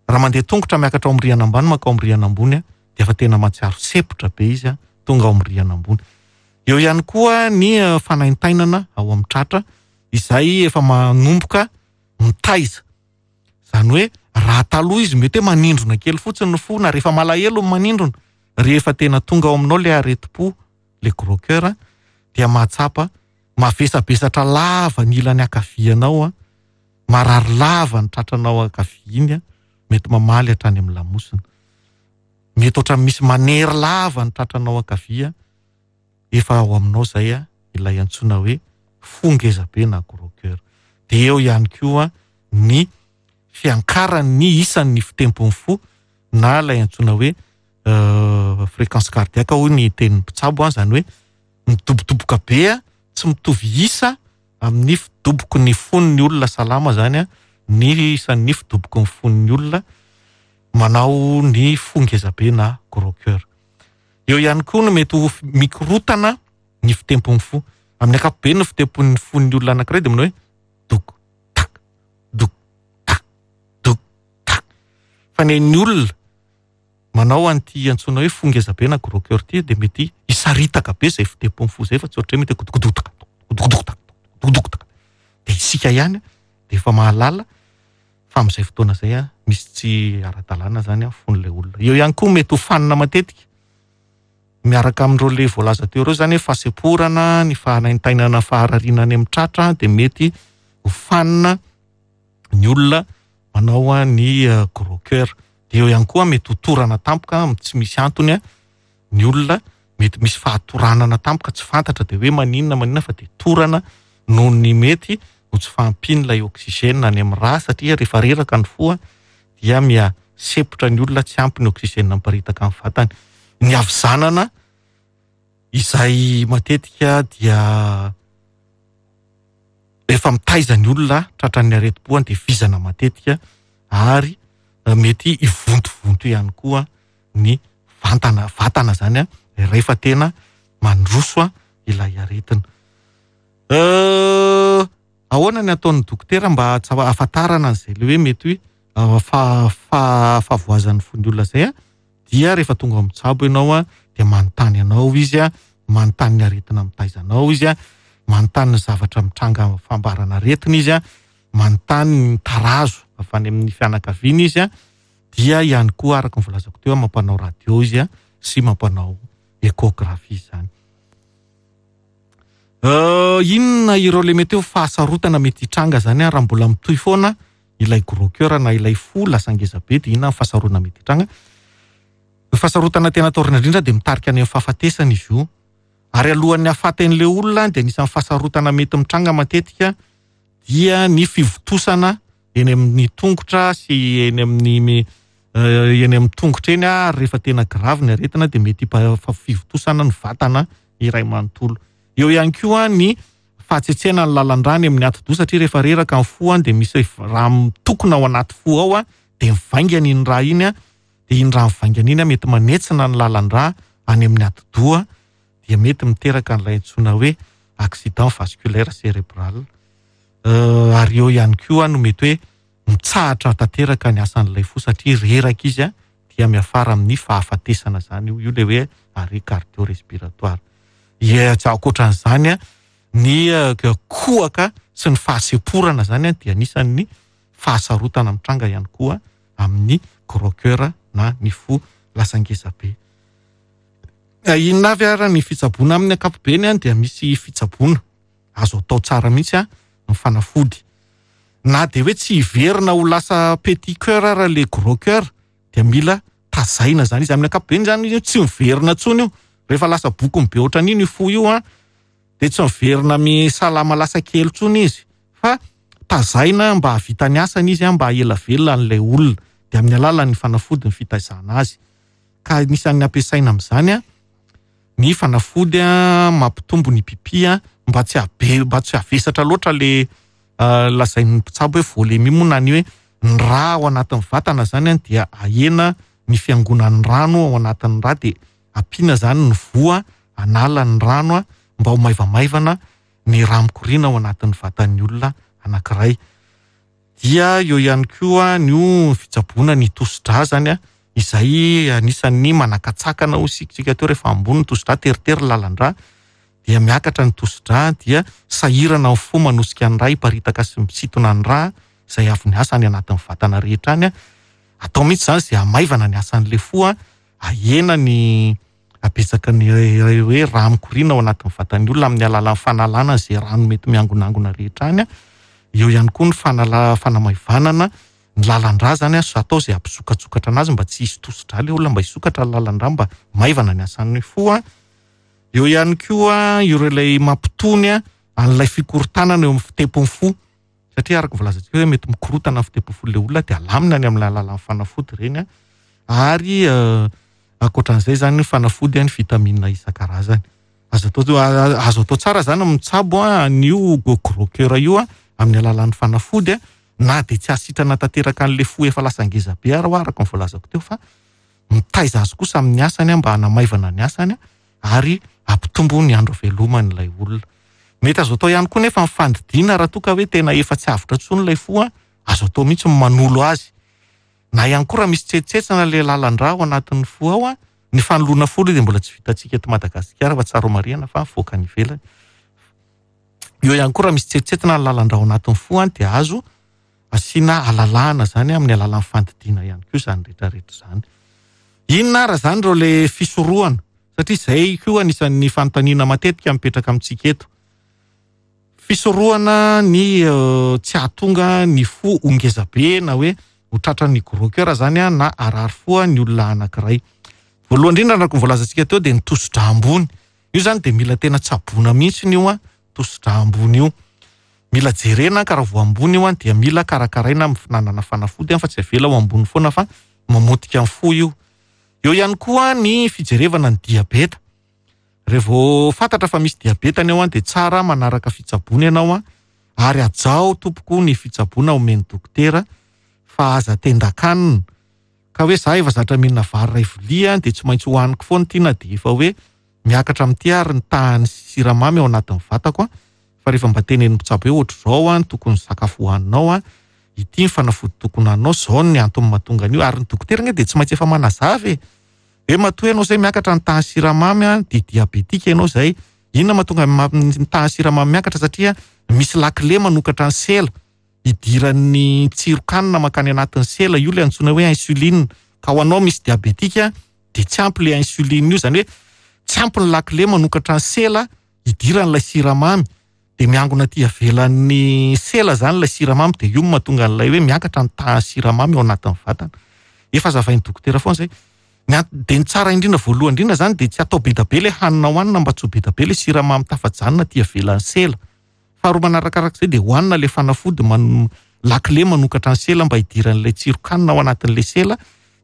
Raha mandeha tongotra miakatra ao amin'ny rihana ambany mankao amin'ny rihana ambony dia efa tena mahatsiaro sempotra be izy tonga ao amin'ny rihana ambony. Eo ihany koa ny fanaintainana ao amin'ny tratra izay efa manomboka mitaiza. Izany hoe raha taloha izy mety hoe manindrona kely fotsiny ny fo na rehefa malahelo ny manindrona, rehefa tena tonga ao aminao ilay aretim-po, ilay gros cœur, dia mahatsapa mavesabesatra lava ny ilany ankavianao, marary lava ny tratranao ankavia iny, mety mamaly hatrany amin'ny lamosina. Mety ohatran'ny misy manery lava ny tratranao ankavia, efa ao aminao izay ilay antsoina hoe fo ngeza be na gros cœur. Dia eo ihany koa ny fiankaran'ny isan'ny fitempon'ny fo na ilay antsoina hoe fréquence cardiaque hoy ny tenin'ny mpitsabo, izany hoe midobodoboka be, tsy mitovy isa amin'ny fidoboky ny fon'ny olona salama izany ny isan'ny fidoboky ny fon'ny olona manao ny fo ngeza be na gros cœur. Eo ihany koa no mety ho mikorotana ny fitempon'ny fo. Amin'ny ankapobeny ny fitempon'ny fon'ny olona anankiray dia manao hoe dok tak dok tak dok tak. Fa ny an'ny olona manao an'ity antsoina hoe fo ngeza be na gros cœur ity dia mety hisaritaka be izay fitempon'ny fo izay fa tsy ohatran'ny hoe mety hoe godogodotak godogodotak godogodotak. Dia isika ihany dia efa mahalala fa amin'izay fotoana izay misy tsy ara-dalàna izany fon'ilay olona. Eo ihany koa mety ho fanina matetika miaraka amin'ireo le voalaza teo ireo izany hoe fahasemporana, ny fahanaintainana, faharariana any amin'ny tratra dia mety ho fanina ny olona manao ny gros cœur. Dia eo ihany koa mety ho torana tampoka tsy misy antony ny olona. Mety misy fahatoranana tampoka tsy fantatra dia hoe maninona maninona fa dia torana noho ny mety ho tsy fahampian'ilay oxygène any amin'ny rà, satria rehefa reraka ny fo dia miha sepotra ny olona, tsy ampy ny oxygène miparitaka amin'ny vatany. Ny havizanana izay matetika dia rehefa mitaiza ny olona tratran'ny aretim-po dia vizana matetika ary mety hivontovonto ihany koa ny vantana, vatana zany rehefa tena mandroso ilay aretina. Ahoana ny ataon'ny dokotera mba hahafantarana an'izay le hoe mety hoe fahavoazan'ny fon'ny olona zay a? Dia rehefa tonga ao mitsabo ianao a, dia manontany anao izy a, manontany ny aretina mitaiza anao izy a, manontany ny zavatra mitranga fambarana aretina izy a, manontany ny tarazo avy any amin'ny fianakaviana izy a, dia ihany koa araka ny voalazako teo mampanao radio izy a sy mampanao échographie izany. Inona ireo le mety hoe fahasarotana mety hitranga zany raha mbola mitohy foana ilay gros cœur na ilay fo lasa ngeza be, dia inona ny fahasarotana mety hitranga? Ny fahasarotana tena atahorana indrindra dia mitarika any amin'ny fahafatesana izy io. Ary alohan'ny hahafaty an'ilay olona dia anisan'ny fahasarotana mety mitranga matetika dia ny fivontosana eny amin'ny tongotra sy eny amin'ny eny amin'ny tongotra eny, ary rehefa tena grave ny aretina dia mety fivontosana ny vatana iray manontolo. Eo ihany koa ny fahatsetsena ny lalan-drà any amin'ny atidoha, satria rehefa reraka ny fo dia misy rà mitokona ao anaty fo ao, dia mivaingana iny rà iny, dia iny rà mivaingana iny mety manetsina ny lalan-drà any amin'ny atidoha, dia mety miteraka an'ilay antsoina hoe accident vasculaire cérébral. Ary eo ihany koa no mety hoe mitsahatra tanteraka ny asan'ilay fo satria reraka izy, dia miafara amin'ny fahafatesana zany io, io le hoe arrêt cardio-respiratoire. Tsy ankoatran'izany ny kohaka sy ny fahasemporana zany dia anisan'ny fahasarotana mitranga ihany koa amin'ny gros cœur na ny fo lasa ngeza be. Inona avy ara ny fitsaboana amin'ny ankapobeny? Dia misy fitsaboana azo atao tsara mihitsy ny fanafody. Na dia hoe tsy hiverina ho lasa petit cœur ara le gros cœur, dia mila tazaina zany izy. Amin'ny ankapobeny zany izy tsy miverina intsony io. Rehefa lasa bokony be ohatran'iny io fo io dia tsy miverina misalama lasa kely intsony izy, fa tazaina mba hahavita ny asany izy mba ela velona an'ilay olona, dia amin'ny alalan'ny fanafody ny fitaizana azy. Ka anisan'ny ampiasaina amin'izany ny fanafody mampitombo ny pipi mba tsy habe, mba tsy havesatra loatra le lazain'ny mpitsabo hoe volémie moa, na ny hoe ny rà ao anatin'ny vatana zany dia ahena ny fiangonan'ny rano ao anatin'ny rà, dia ampiana zany ny voa anala ny rano mba ho maivamaivana ny rà mikoriana ao anatin'ny vatan'ny olona anankiray. Dia eo ihany koa ny fitsaboana ny tosi-drà zany izay anisan'ny manakatsakana ho isika teo. Rehefa ambony ny tosi-drà, teritery ny lalan-drà, dia miakatra ny tosi-drà, dia sahirana ny fo manosika ny rà hiparitaka sy misintona ny rà izay avy niasa any anatin'ny vatana rehetra any. Atao mihitsy zany izay hamaivana ny asan'ilay fo, ahena ny abetsaka ny hoe rà mikoriana ao anatin'ny vatan'ny olona amin'ny alalan'ny fanalana izay rano mety miangonangona rehetra any. Eo ihany koa ny fanamaivanana ny lalan-drà zany, atao izay hampisokatsokatra anazy mba tsy hisy tosi-drà ilay olona, mba hisokatra ny lalan-drà mba maivana ny asan'ny fo. Eo ihany koa ireo ilay mampitony an'ilay fikorontanana eo amin'ny fitepon'ny fo, satria araka ny voalazantsika hoe mety mikorotana ny fitepon'ny fo ilay olona, dia alamina ny amin'ny alalan'ny fanafody ireny. Ary ankoatran'izay zany ny fanafody ny vitamine isan-karazany. Azo atao tsara zany mitsabo an'io gros cœur io amin'ny alalan'ny fanafody, na dia tsy hasitrana tanteraka an'ilay fo efa lasa ngeza be ary araka ny voalazako teo, fa mitaiza azy kosa amin'ny asany mba hanamaivana ny asany ary hampitombo ny andro veloman'ilay olona. Mety azo atao ihany koa nefa ny fandidiana raha toa ka hoe tena efa tsy avotra intsony ilay fo, azo atao mihitsy ny manolo azy. Na ihany koa raha misy tsetsetsana ilay lalan-drà ao anatin'ny fo ao, ny fanoloana fo aloha dia mbola tsy vitantsika eto Madagasikara fa tsara marihana fa mivoaka any ivelany. Eo ihany koa raha misy tsetsetsana ny lalan-drà ao anatin'ny fo dia azo asiana alalahana zany amin'ny alalan'ny fandidiana ihany koa izany rehetrarehetra izany. Inona ara zany ireo le fisorohana? Satria izay koa anisan'ny fanontaniana matetika mipetraka amintsika eto. Fisorohana ny tsy hahatonga ny fo ho ngeza be na hoe ho tratran'ny gros cœur zany na harary fo ny olona anankiray. Voalohany indrindra araka ny voalazantsika teo dia ny tosidra ambony. Io zany dia mila tena tsaboina mihitsy io a, tosidra ambony io. Mila jerena ka raha vao ambony io a dia mila karakaraina amin'ny fihinanana fanafody fa tsy avela ho ambony foana fa mamotika ny fo io. Eo ihany koa ny fijerevana ny diabeta. Rehefa fantatra fa misy diabeta ny ao a dia tsara manaraka fitsaboana ianao a, ary hajao tompoko ny fitsaboana omen'ny dokotera fa aza tendakanina. Ka hoe za efa zatra mihinana vary iray vilia dia tsy maintsy hohaniko foana ity na dia efa hoe miakatra amin'ity ary ny tahan'ny siramamy ao anatin'ny vatako a, fa rehefa mba tenenin'ny mpitsabo hoe ohatr'izao a ny tokony sakafo hohaninao a, ity ny fanafody tokony hohaninao, izao ny antony mahatonga an'io, ary ny dokotera anie dia tsy maintsy efa manazava e. Hoe matoa ianao izay miakatra ny tahan'ny siramamy a, dia diabetika ianao izay. Inona mahatonga ny tahan'ny siramamy miakatra? Satria misy lakile manokatra ny sela idiran'ny tsiron-kanina mankany anatin'ny sela, io ilay antsoina hoe insuline. Ka ho anao misy diabetika dia tsy ampy ilay insuline io, izany hoe tsy ampy ny lakile manokatra ny sela idiran'ilay siramamy, dia miangona aty avelan'ny sela zany ilay siramamy, dia io no mahatonga an'ilay hoe miakatra ny tahan'ny siramamy ao anatin'ny vatana. Efa azavain'ny dokotera foana izay. Ny dia ny tsara indrindra voalohany indrindra zany dia tsy atao be dia be ilay hanina hohanina mba tsy ho be dia be ilay siramamy tafajanona aty avelan'ny sela. Faharoa manarakarak'izay dia hohanina ilay fanafody lakile manokatra ny sela mba hidiran'ilay tsiron-kanina ao anatin'ilay sela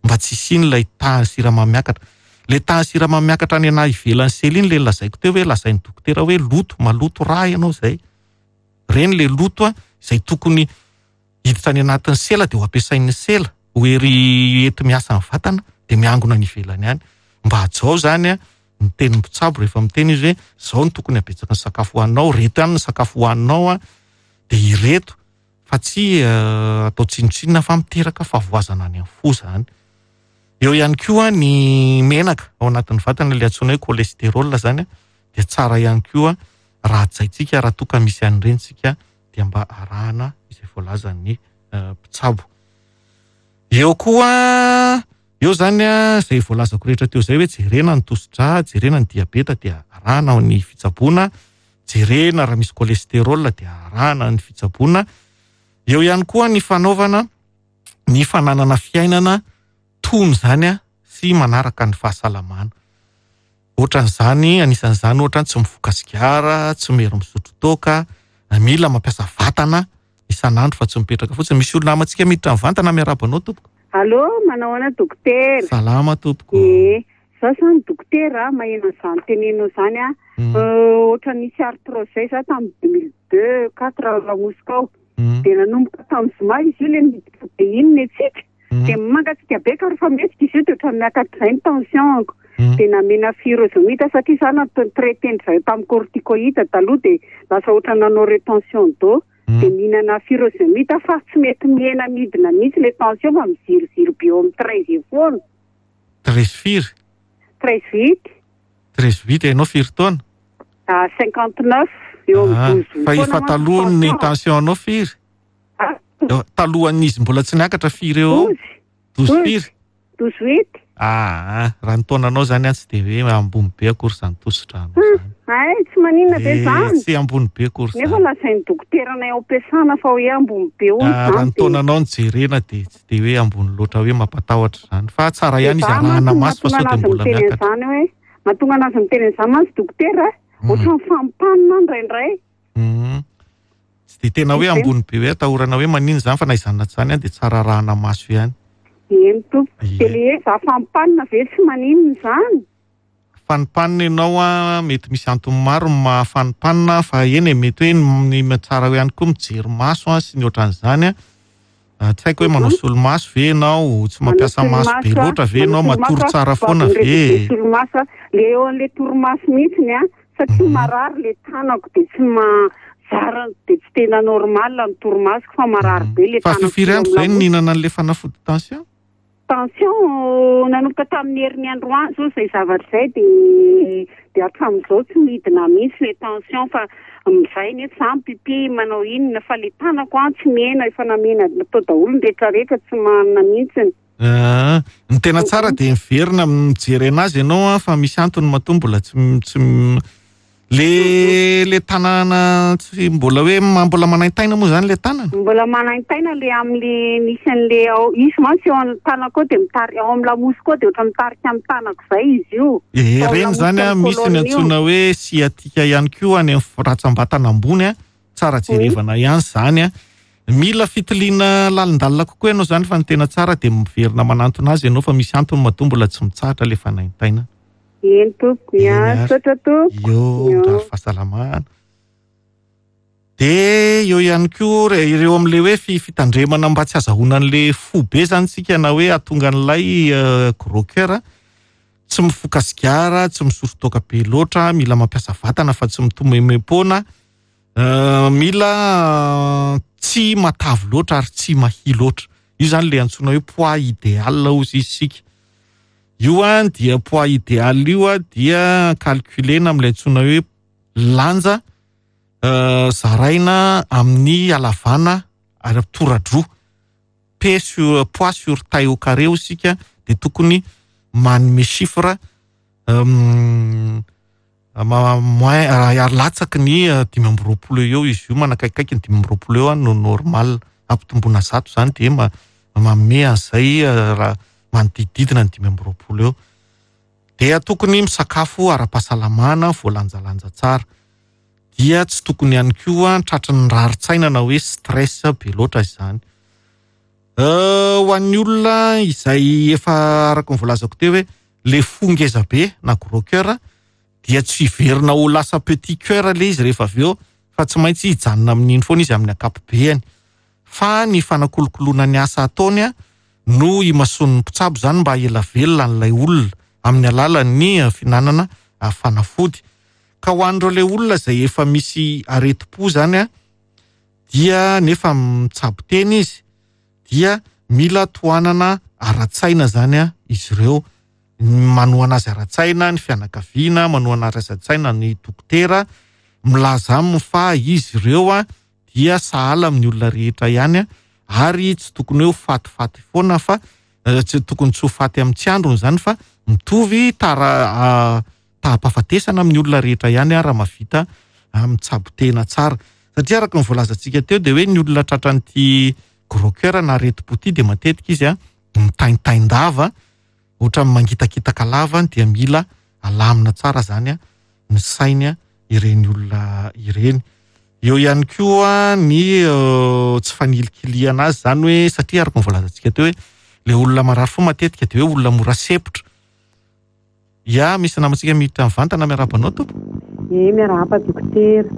mba tsy hisian'ilay tahan'ny siramamy miakatra. Ilay tahan'ny siramamy miakatra any anahy ivelan'ny sela iny ilay lazaiko teo hoe lazain'ny dokotera hoe loto, maloto rà ianao izay. Ireny ilay loto a, izay tokony hiditra any anatin'ny sela dia ho ampiasain'ny sela ho hery enti-miasa ny vatana dia miangona any ivelany any. Mba hajao izany a, ny tenin'ny mpitsabo rehefa miteny izy hoe izao no tokony habetsaky ny sakafo hohaninao, ireto ihany ny sakafo hohaninao a, dia ireto fa tsy atao tsinontsinona fa miteraka fahavoazana any amin'ny fo izany. Eo ihany koa ny menaka ao anatin'ny vatana ilay antsoina hoe cholestérol izany dia tsara ihany koa raha hajaintsika, raha toa ka misy an'ireny isika dia mba arahana izay voalazan'ny mpitsabo. Eo koa, eo izany izay voalazako rehetra teo izay hoe jerena ny tosidra, jerena ny diabeta dia arahana ny fitsaboana, jerena raha misy cholestérol dia arahana ny fitsaboana. Eo ihany koa ny fanaovana ny fananana fiainana tony izany sy manaraka ny fahasalamana. Ohatran'izany, anisan'izany ohatra tsy mifoka sigara, tsy mery misotro toaka, mila mampiasa vatana isan'andro fa tsy mipetraka fotsiny. Misy olona namantsika miditra mivantana, miarahaba anao tompoko. Allô, manao ahoana dokotera? Salama tompoko. Ee, za zany dokotera, maheno an'izany teneninao izany aho. Ohatra nisy arthrose zay za tamin'ny 2002, 4 lamosiko ao. Dia nanomboka tamin'ny zoma izy io ilay niditra be iny ny antsika. Dia mangatsiaka be ka rehefa mihetsika izy io dia ohatran'ny miakatra izay ny tension-ko. Dia namena furosemide satria za natao traiter-ndry zareo tamin'ny corticoïde taloha dia lasa ohatran'ny nanao rétention d'eau. Dia mihinana furosemide fa tsy mety mihena midina mihitsy ilay tension fa miziriziry be eo amin'ny 13 eo foana. 13 firy? 13 huit. 13 huit, ianao firy taona? 59, eo amin'ny 12 Fa efa taloha ny tension anao firy? Talohan'izy mbola tsy niakatra firy eo? 12 firy? 12 huit. Ah, raha ny taonanao zany an tsy dia hoe ambony be akory izany tosidranao zany. Ay, tsy maninona be zany. Tsy ambony be akory zany. Nefa lazain'ny dokoteranay ao am-piasana fa hoe ambony be hono izany. Raha ny taonanao no jerena dia tsy dia hoe ambony loatra hoe mampatahotra izany. Fa tsara ihany izy arahana maso fa sao dia mbola miakatra. Mahatonga anazy miteny an'izany mantsy dokotera, ohatran'ny fampanina indraindray. Tsy dia tena hoe ambony be hoe atahorana hoe maninona izany fa na izany na tsy izany dia tsara arahana maso ihany. Eny tompoko. Dia ilay hoe za fampanina ve tsy maninona izany? Fanimpanina ianao an, mety misy antony maro ny maha fanimpanina fa eny e, mety hoe ny tsara ihany koa mijery maso an sy ny ohatran'izany an. Tsy haiko hoe manao solomaso ve ianao, tsy mampiasa maso be loatra ve ianao, matory tsara foana ve? Solomaso, le eo an'le torimaso mihitsiny an, satria marary le tanako dia tsy mahazara, dia tsy tena normal ny torimasoko fa marary be le tanako. Fa firy andro izay no nihinana an'le fanafody tension? Tension, nanomboka tamin'ny herin'ny androany izao izay zavatra izay dia dia hatramin'izao tsy midina mihitsy ilay tension fa mizay nefa za mipipi manao inona fa ilay tanako an tsy mihena, efa namena natao daholo ny rehetra rehetra tsy manana mihitsy. Ah, ny tena tsara dia miverina mijery anazy ianao an fa misy antony matoa mbola tsy tsy Le le tanana tsy mbola hoe mbola manaintaina moa zany le tanana? Mbola manaintaina le amin'le misy an'le ao, izy mantsy eo amin'ny tanako eo dia mitari-, ao amin'ny lamosiko ao dia ohatran'ny mitarika amin'ny tanako izay izy io. Ee, Ao ireny zany lamosiko an, amin'ny misy ny colonne io. antsoina hoe sciatique ihany koa any amin'ny rantsambatana ambony an, tsara jerevana ihany izany an. Mila fitiliana lalindalina kokoa ianao izany fa ny tena tsara dia miverina manantona azy ianao fa misy antony matoa mbola tsy mitsahatra ilay fanaintainana. Eny tompoko, Eny ya, ary. misaotra tompoko. Eo, Eo. mirary fahasalamana. Dia eo ihany koa re- ireo amin'ilay hoe fi- fitandremana mba tsy hazahoana an'ilay fo be izany tsika na hoe hahatonga an'ilay gros cœur. Tsy mifoka sigara, tsy misotro toaka be loatra, mila mampiasa vatana fa tsy mitomemem-poana. Mila tsy matavy loatra ary tsy mahia loatra. Io izany ilay antsoina hoe poids idéal hozy izy isika. Io an dia poids idéal io an dia calculena amin'ilay antsoina hoe lanja zaraina amin'ny halavana ary toradroa. P sur poids sur taille au carré hozy isika dia tokony manome chiffre moins ary latsaky ny 25 eo izy io, manakaikaiky ny 25 eo no normal. Ampitomboina 100 izany dia manome an'izay raha manodidididina ny 25 eo. Dia tokony misakafo ara-pahasalamana, voalanjalanja tsara. Dia tsy tokony ihany koa tratry ny rarin-tsaina na hoe stress be loatra izany. Ho an'ny olona izay efa araka ny voalazako teo hoe le fo ngeza be na gros cœur dia tsy hiverina ho lasa petit cœur le izy rehefa avy eo fa tsy maintsy hijanona amin'iny foana izy amin'ny ankapobeany. Fa ny fanakolokoloana ny asa ataony no imasoan'ny mpitsabo izany mba ela velona an'ilay olona amin'ny alalan'ny fihinanana fanafody. Ka ho an'ireo ilay olona izay efa misy aretim-po izany dia nefa mitsabo tena izy dia mila tohanana ara-tsaina izany izy ireo. Manohana azy ara-tsaina ny fianakaviana, manohana azy ara-tsaina ny dokotera, milaza aminy fa izy ireo dia sahala amin'ny olona rehetra ihany ary tsy tokony hoe ho fatifaty foana fa tsy tokony tsy ho faty amin'ny tsy androny izany fa mitovy tara taham-pahafatesana amin'ny olona rehetra ihany raha mahavita mitsabo tena tsara. Satria araka ny voalazantsika teo dia hoe ny olona tratran'ity gros cœur na aretim-po ity dia matetika izy mitaintain-dava, ohatran'ny mangitakitaka lava dia mila alamina tsara izany ny sainy ireny olona ireny. Eo ihany koa ny tsy fanilikilihana azy izany hoe satria araka ny voalazantsika teo hoe ilay olona marary fo matetika dia hoe olona mora sempotra. Ya, misy namantsika miditra mivantana, miarahaba anao tompoko. Ie, miarahaba dokotera.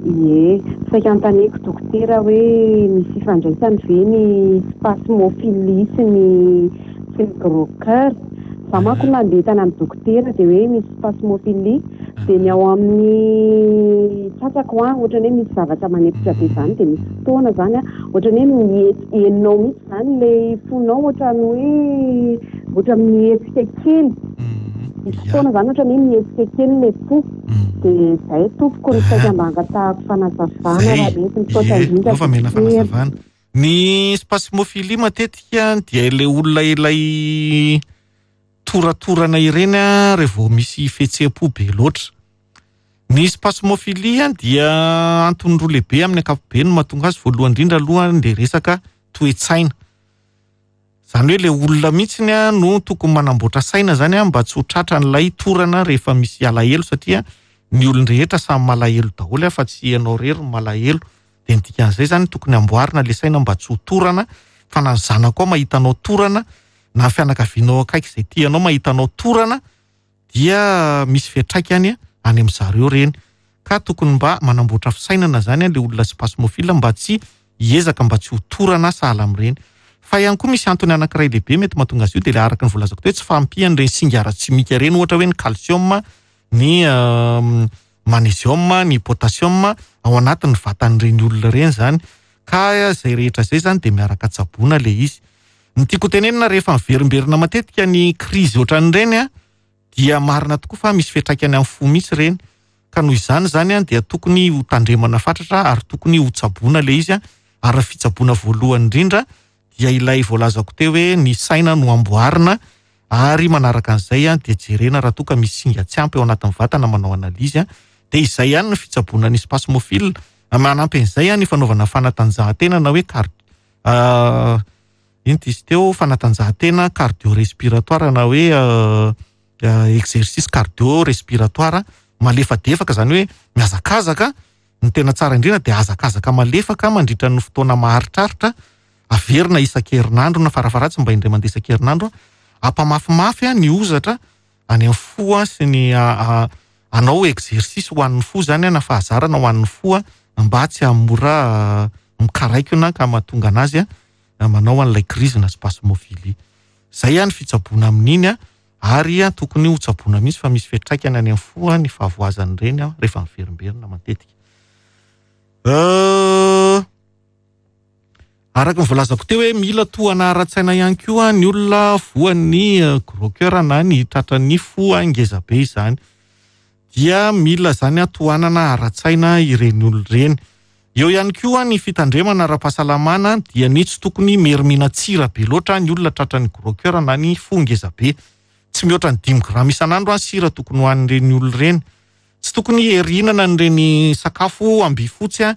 Ie, saika anontaniako dokotera hoe misy ifandraisany ve ny spasmophilie sy ny sy ny gros cœur? Za manko nandeha tany amin'ny dokotera dia hoe misy spasmophilie dia ny ao amin'ny tratrako an, ohatran'ny hoe misy zavatra manempotra be izany dia misy fotoana izany an, ohatran'ny hoe mihetsy henonao mihitsy izany ilay fonao ohatran'ny hoe ohatran'ny mihetsika kely. Misy fotoana izany ohatran'ny hoe mihetsika kely ilay fo. Dia izay tompoko no saika mba angatahako fanazavana raha mety. Misaotra indrindra Efa mila dokotera. fanazavana. Ny spasmophilie matetika dia ilay olona ilay toratorana ireny rehefa vao misy fihetseham-po be loatra. Ny spasmophilie dia antony roa lehibe amin'ny ankapobeny no mahatonga azy. Voalohany indrindra aloha dia resaka toe-tsaina. Izany hoe ilay olona mihitsy no tokony manamboatra saina izany mba tsy ho tratran'ilay torana rehefa misy alahelo satria ny olon-drehetra samy malahelo daholo fa tsy ianao irery no malahelo. Dia ny dikan'izay izany tokony amboarina ilay saina mba tsy ho torana fa na ny zanakao mahita anao torana na ny fianakavianao akaiky izay tianao mahita anao torana dia misy fiantraikany any amin'ny zareo ireny. Ka tokony mba manamboatra fisainana izany ilay olona spasmophile mba tsy hiezaka mba tsy ho torana sahala amin'ireny. Fa ihany koa misy antony anankiray lehibe mety mahatonga azy io dia ilay araka ny voalazako teo hoe tsy fahampian'ireny singa ara-tsimika ireny ohatra hoe ny calcium, ny magnésium, ny potassium ao anatin'ny vatan'ireny olona ireny izany. Ka izay rehetra izay izany dia miaraka tsaboina ilay izy. Ny tiako hotenenina rehefa miverimberina matetika ny krizy ohatran'ireny dia marina tokoa fa misy fiantraikany amin'ny fo mihitsy ireny. Ka noho izany izany dia tokony ho tandremana fatratra ary tokony ho tsaboina ilay izy. Ary ny fitsaboana voalohany indrindra dia ilay voalazako teo hoe ny saina no amboarina ary manaraka an'izay dia jerena raha toa ka misy singa tsy ampy ao anatin'ny vatana manao analyse. Dia izay ihany ny fitsaboana ny spasmophile. Manampy an'izay ny fanaovana fanatanjahantena na hoe car ino ty izy teo, fanatanjahantena cardio-respiratoire na hoe exercice cardio-respiratoire malefadefaka, izany hoe mihazakazaka. Ny tena tsara indrindra dia hazakazaka malefaka mandritra ny fotoana maharitraritra, averina isan-kerinandro na farafaharatsiny mba indray mandeha isan-kerinandro, ampamafimafy ny hozatra any amin'ny fo sy ny anao exercice ho an'ny fo zany na fahazarana ho an'ny fo mba tsy hahamora mikaraikona ka mahatonga anazy manao an'ilay crise na spasmophilie. Zay ny fitsaboana amin'iny ary tokony ho tsaboina mihitsy fa misy fiantraikany any amin'ny fo ny fahavoazan'ireny rehefa miverimberina matetika. Araka ny voalazako teo hoe mila tohana ara-tsaina ihany koa ny olona voan'ny gros cœur na ny tratran'ny fo ngeza be izany. Dia mila zany tohanana ara-tsaina ireny olona ireny. Eo ihany koa ny fitandremana ara-pahasalamana dia ny tsy tokony merimina tsira be loatra ny olona tratran'ny gros cœur na ny fo ngeza be. Tsy mihoatra ny 5 grama isan'andro sira tokony ho an'ireny olona ireny. Tsy tokony herinana an'ireny sakafo ambifotsy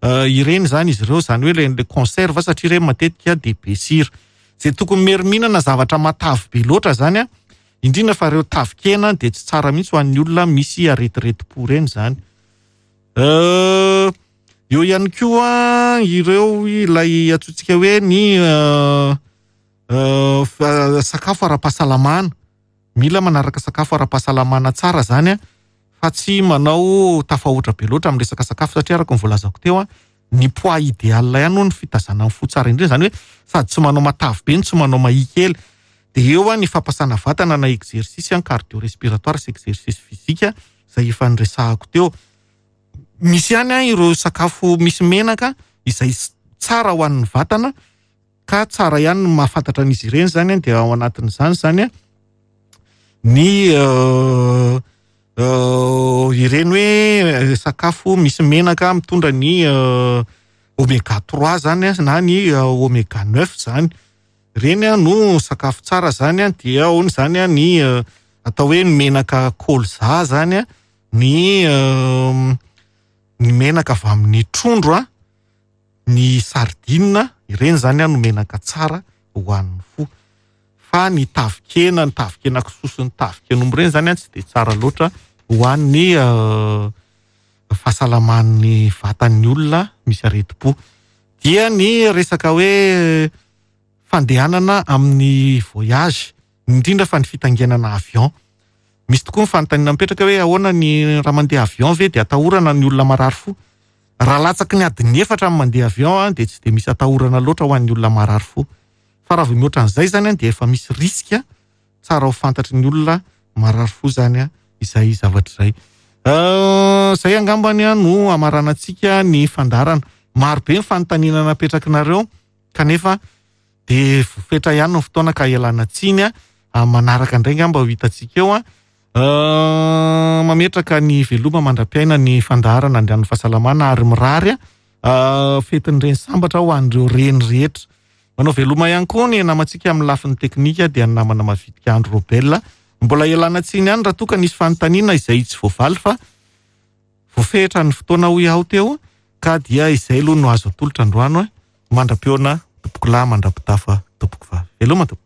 ireny zany izy ireo, zany hoe le conserve satria ireny matetika dia be sira. Zay tokony meriminana zavatra matavy be loatra zany, indrindra fa ireo tavikena dia tsy tsara mihitsy ho an'ny olona misy aretiretim-po ireny zany. Eo ihany koa ireo ilay antsointsika hoe ny sakafo ara-pahasalamana. Mila manaraka sakafo ara-pahasalamana tsara zany fa tsy manao tafahoatra be loatra amin'ny resaka sakafo satria araka ny voalazako teo ny poids idéal ihany no ny fitazana ny fo tsara indrindra, zany hoe sady tsy manao matavy be no tsy manao mahia kely. Dia eo ny fampasana vatana na exercice cardio-respiratoire sy exercice physique izay efa niresahako teo. Misy ihany ireo sakafo misy menaka izay tsara ho an'ny vatana ka tsara ihany ny mahafantatra an'izy ireny zany, dia ao anatin'izany zany ny ireny hoe sakafo misy menaka mitondra ny oméga 3 zany na ny oméga 9 zany. Ireny no sakafo tsara zany, dia ao zany ny atao hoe menaka colza zany, ny menaka avy amin'ny trondro, ny sardine, ireny zany no menaka tsara ho an'ny fo. Fa ny tavikena, ny tavikena kisoa sy ny taviken'omby ireny zany tsy dia tsara loatra ho an'ny fahasalaman'ny vatan'ny olona misy aretim-po. Dia ny resaka hoe fandehanana amin'ny voyage, indrindra fa ny fitaingenana avion. Misy tokoa ny fanontaniana mipetraka hoe ahoana ny raha mandeha avion ve dia atahorana ny olona marary fo. Raha latsaky ny adiny 4 amin'ny mandeha avion dia tsy dia misy atahorana loatra ho an'ny olona marary fo. Fa raha vao mihoatra an'izay zany dia efa misy risque tsara ho fantatry ny olona marary fo zany izay zavatra izay. Izay angambany no hamaranantsika ny fandaharana. Maro be ny fanontaniana napetrakinareo kanefa dia voafetra ihany ny fotoana ka ialana tsiny manaraka indray angamba ho hitantsika eo. Mametraka ny veloma mandra-piaina ny fandaharana andrian'ny fahasalamana ary mirary fetin'ny reny sambatra ho an'ireo reny rehetra. Manao veloma ihany koa ny namantsika amin'ny lafiny teknika dia ny namana mavitrika Andro Robel. Mbola ialana tsiny ihany raha toa ka nisy fanontaniana izay tsy voavaly fa voafehitra ny fotoana hoy aho teo ka dia izay aloha no azo atolotra androany. Mandra-pihaona tompoko lahy, mandra-pitafa tompoko vavy. Veloma tompoko.